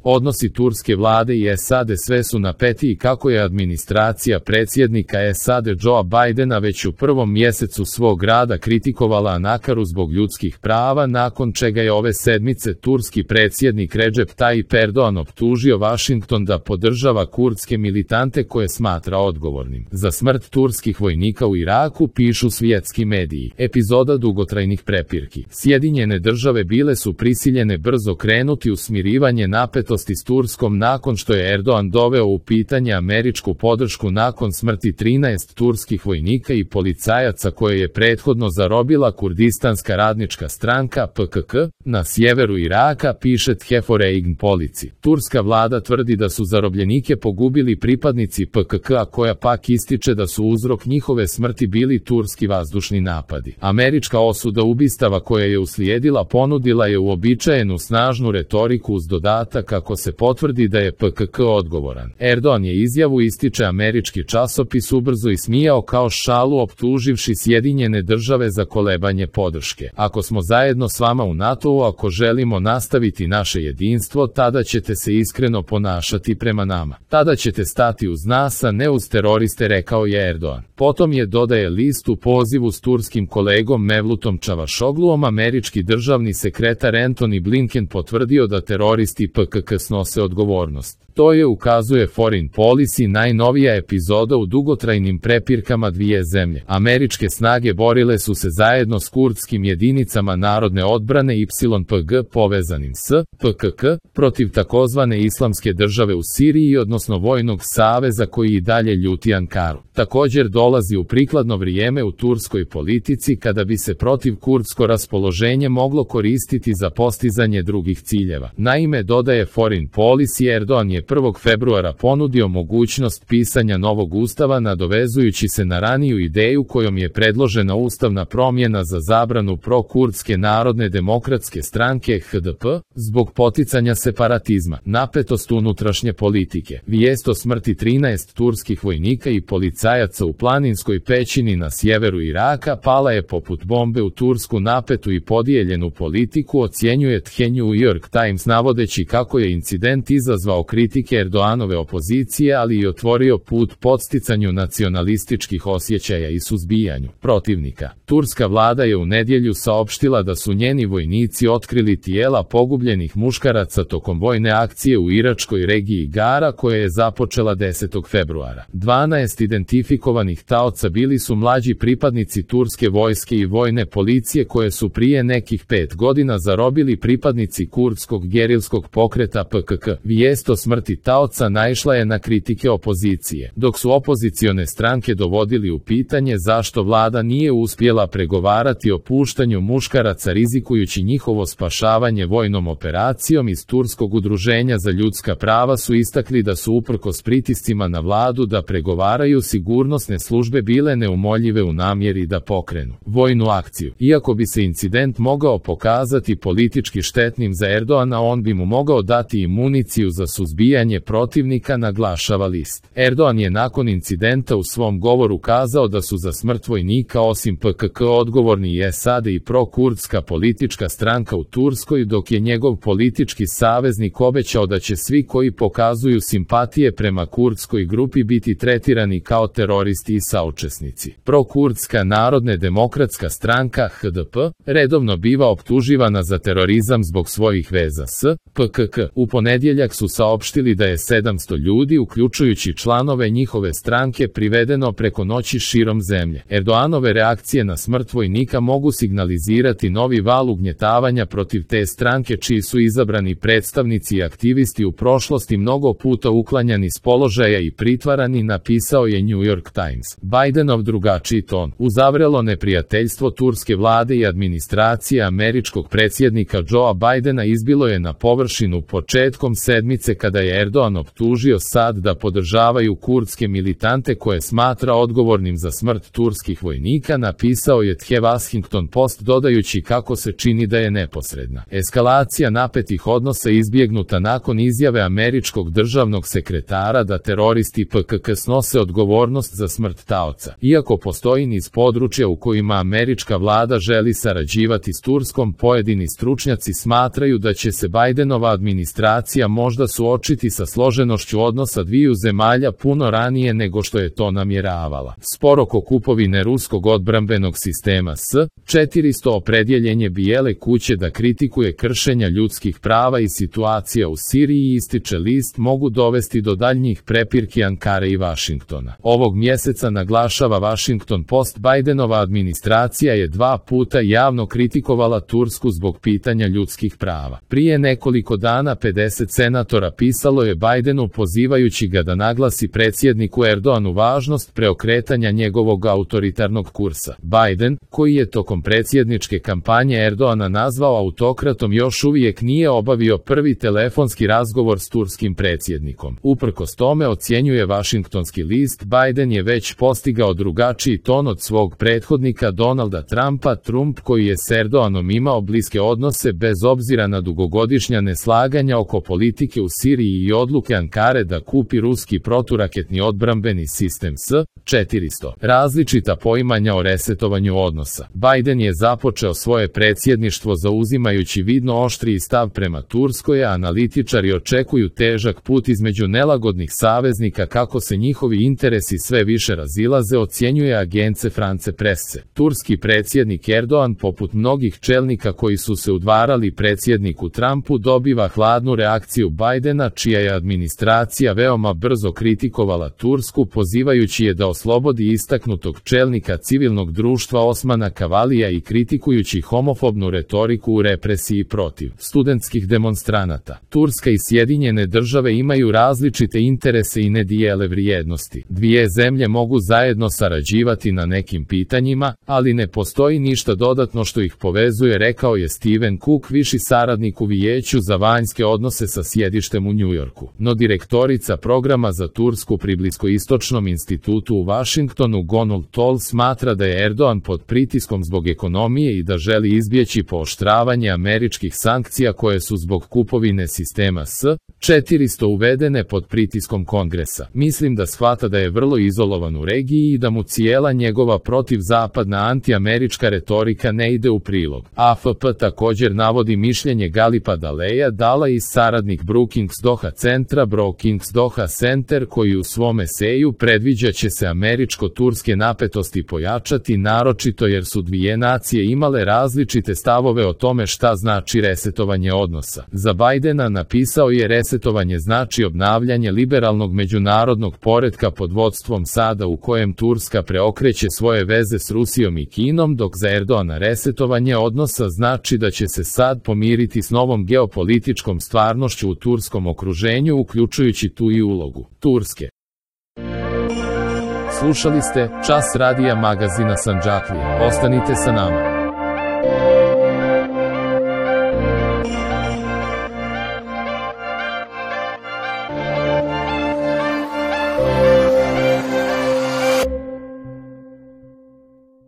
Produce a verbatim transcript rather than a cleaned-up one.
Odnosi turske vlade i S A D sve su napetiji kako je administracija predsjednika S A D Joea Bidena već u prvom mjesecu svog rada kritikovala Ankaru zbog ljudskih prava, nakon čega je ove sedmice turski predsjednik Recep Tayyip Erdogan optužio Washington da podržava kurdske militante koje smatra odgovornim za smrt turskih vojnika u Iraku, pišu svjetski mediji. Epizoda dugotrajnih prepirki. Sjedinjene države bile su prisiljene brzo krenuti u smirivanje napetosti s Turskom nakon što je Erdogan doveo u pitanje američku podršku nakon smrti trinaest turskih vojnika i policajaca koje je prethodno zarobila Kurdistanska radnička stranka P K K na sjeveru Iraka, piše Tjeforeign Polici. Turska vlada tvrdi da su zarobljenike pogubili pripadnici P K K, a koja pak ističe da su uzrok njihove smrti bili turski vazdušni napadi. Američka osuda ubistava koja je uslijedila ponudila je uobičajenu snažnu retoriku uz dodatak kako se potvrdi da je P K K odgovoran. Erdogan je izjavu, ističe američki časopis, ubrzo ismijao kao šalu, optuživši Sjedinjene države za kolebanje podrške. Ako smo zajedno s vama u NATO-u, ako želimo nastaviti naše jedinstvo, tada ćete se iskreno ponašati prema nama. Tada ćete stati uz nas, a ne uz teroriste, rekao je Erdogan. Potom je, dodaje list, u pozivu s turskim kolegom Mevlutom Čavašogluom američki državni sekretar Antony Blinken potvrdio da teroristi P K K snose odgovornost. To je, ukazuje Foreign Policy, najnovija epizoda u dugotrajnim prepirkama dvije zemlje. Američke snage borile su se zajedno s kurdskim jedinicama narodne odbrane Y P G povezanim s P K K protiv takozvane Islamske države u Siriji, odnosno vojnog saveza koji i dalje ljuti Ankaru. Također dolazi u prikladno vrijeme u turskoj politici kada bi se protiv kurdsko raspoloženje moglo koristiti za postizanje drugih ciljeva. Naime, dodaje Foreign Policy, Erdogan je prvog februara ponudio mogućnost pisanja novog ustava nadovezujući se na raniju ideju kojom je predložena ustavna promjena za zabranu pro-kurdske narodne demokratske stranke H D P zbog poticanja separatizma. Napetost unutrašnje politike. Vijest o smrti trinaest turskih vojnika i policajaca u planinskoj pećini na sjeveru Iraka pala je poput bombe u tursku napetu i podijeljenu politiku, ocjenjuje The New York Times, navodeći kako je incident izazvao kritike Erdoganove opozicije, ali i otvorio put podsticanju nacionalističkih osjećaja i suzbijanju protivnika. Turska vlada je u nedjelju saopštila da su njeni vojnici otkrili tijela pogubljenih muškaraca tokom vojne akcije u iračkoj regiji Gara koja je započela desetog februara. dvanaest identifikovanih taoca bili su mlađi pripadnici turske vojske i vojne policije koje su prije nekih pet godina zarobili pripadnici kurdskog gerilskog pokreta P K K. Vijest o smrti taoca naišla je na kritike opozicije, dok su opozicione stranke dovodili u pitanje zašto vlada nije uspjela pregovarati o puštanju muškaraca rizikujući njihovo spašavanje vojnom operacijom. Iz Turskog udruženja za ljudska prava su istakli da su uprkos pritiscima na vladu da pregovaraju, sigurnosne službe bile neumoljive u namjeri da pokrenu vojnu akciju. Iako bi se incident mogao pokazati politički štetnim za Erdogana, on bi mu mogao dati i municiju za suzbijanje protivnika, naglašava list. Erdogan je nakon incidenta u svom govoru kazao da su za smrt vojnika osim P K K odgovorni i S A D i pro-kurdska politička stranka u Turskoj, dok je njegov politički saveznik obećao da će svi koji pokazuju simpatije prema kurdskoj grupi biti tretirani kao teroristi i saučesnici. Pro-kurdska narodne demokratska stranka H D P redovno biva optuživana za terorizam zbog svojih veza s P K K. U ponedjeljak su saopštili da je sedamsto ljudi, uključujući članove njihove stranke, privedeno preko noći širom zemlje. Erdoganove reakcije na smrt vojnika mogu signalizirati novi val ugnjetavanja protiv te stranke, čiji su izabrani predstavnici i aktivisti u prošlosti mnogo puta uklanjani s položaja i pritvarani, napisao je New York Times. Bidenov drugačiji ton. Uzavrelo neprijateljstvo turske vlade i administracije američkog predsjednika Joea Bidena izbilo je na površinu početkom sedmice kada je Erdogan optužio S A D da podržavaju kurdske militante koje smatra odgovornim za smrt turskih vojnika, napisao napisao je The Washington Post dodajući kako se čini da je neposredna eskalacija napetih odnosa izbjegnuta nakon izjave američkog državnog sekretara da teroristi P K K snose odgovornost za smrt taoca. Iako postoji niz područja u kojima američka vlada želi sarađivati s Turskom, pojedini stručnjaci smatraju da će se Bajdenova administracija možda suočiti sa složenošću odnosa dviju zemalja puno ranije nego što je to namjeravala. Spor oko kupovine ruskog odbrambenog sistema S četiristo opredjeljenje Bijele kuće da kritikuje kršenja ljudskih prava i situacija u Siriji, ističe list, mogu dovesti do daljnjih prepirki Ankare i Vašingtona. Ovog mjeseca, naglašava Washington Post, Bajdenova administracija je dva puta javno kritikovala Tursku zbog pitanja ljudskih prava. Prije nekoliko dana pedeset senatora pisalo je Bajdenu pozivajući ga da naglasi predsjedniku Erdoanu važnost preokretanja njegovog autoritarnog kursa. Bajden, koji je tokom predsjedničke kampanje Erdoana nazvao autokratom, još uvijek nije obavio prvi telefonski razgovor s turskim predsjednikom. Uprkos tome, ocjenjuje Washingtonski list, Bajden je već postigao drugačiji ton od svog prethodnika Donalda Trumpa. Trump, koji je s Erdoanom imao bliske odnose bez obzira na dugogodišnja neslaganja oko politike u Siriji i odluke Ankare da kupi ruski proturaketni odbrambeni sistem S četiristo. Različita poimanja o resetovanju odnosa. Bajden je započeo svoje predsjedništvo zauzimajući vidno oštriji stav prema Turskoj, a analitičari očekuju težak put između nelagodnih saveznika kako se njihovi interesi sve više razilaze, ocjenjuje agence France Presse. Turski predsjednik Erdoan, poput mnogih čelnika koji su se udvarali predsjedniku Trumpu, dobiva hladnu reakciju Bajdena, čija je administracija veoma brzo kritikovala Tursku, pozivajući je da oslobodi istaknutog čelnika civilnog društva Osmana Kavalija i kritikujući homofobnu retoriku u represiji protiv studentskih demonstranata. Turska i Sjedinjene države imaju različite interese i ne dijele vrijednosti. Dvije zemlje mogu zajedno sarađivati na nekim pitanjima, ali ne postoji ništa dodatno što ih povezuje, rekao je Steven Cook, viši saradnik u Vijeću za vanjske odnose sa sjedištem u Njujorku. No direktorica programa za Tursku pri Bliskoistočnom institutu u Washingtonu, Gonul Tol, smatra da je Erdoan pod pritiskom zbog ekonomije i da želi izbjeći pooštravanje američkih sankcija koje su zbog kupovine sistema S četiristo uvedene pod pritiskom Kongresa. Mislim da shvata da je vrlo izolovan u regiji i da mu cijela njegova protivzapadna antiamerička retorika ne ide u prilog. A F P također navodi mišljenje Galipa Daleja Dala iz saradnik Brookings Doha centra Brookings Doha Center, koji u svom eseju predviđa će se američko-turske napetosti pojačati, naročito jer su dvije nacije imale različite stavove o tome šta znači resetovanje odnosa. Za Bajdena, napisao je, resetovanje znači obnavljanje liberalnog međunarodnog poretka pod vodstvom Sada u kojem Turska preokreće svoje veze s Rusijom i Kinom, dok za Erdoana resetovanje odnosa znači da će se Sad pomiriti s novom geopolitičkom stvarnošću u turskom okruženju, uključujući tu i ulogu Turske. Slušali ste Čas radija magazina Sandžaklija. Ostanite sa nama.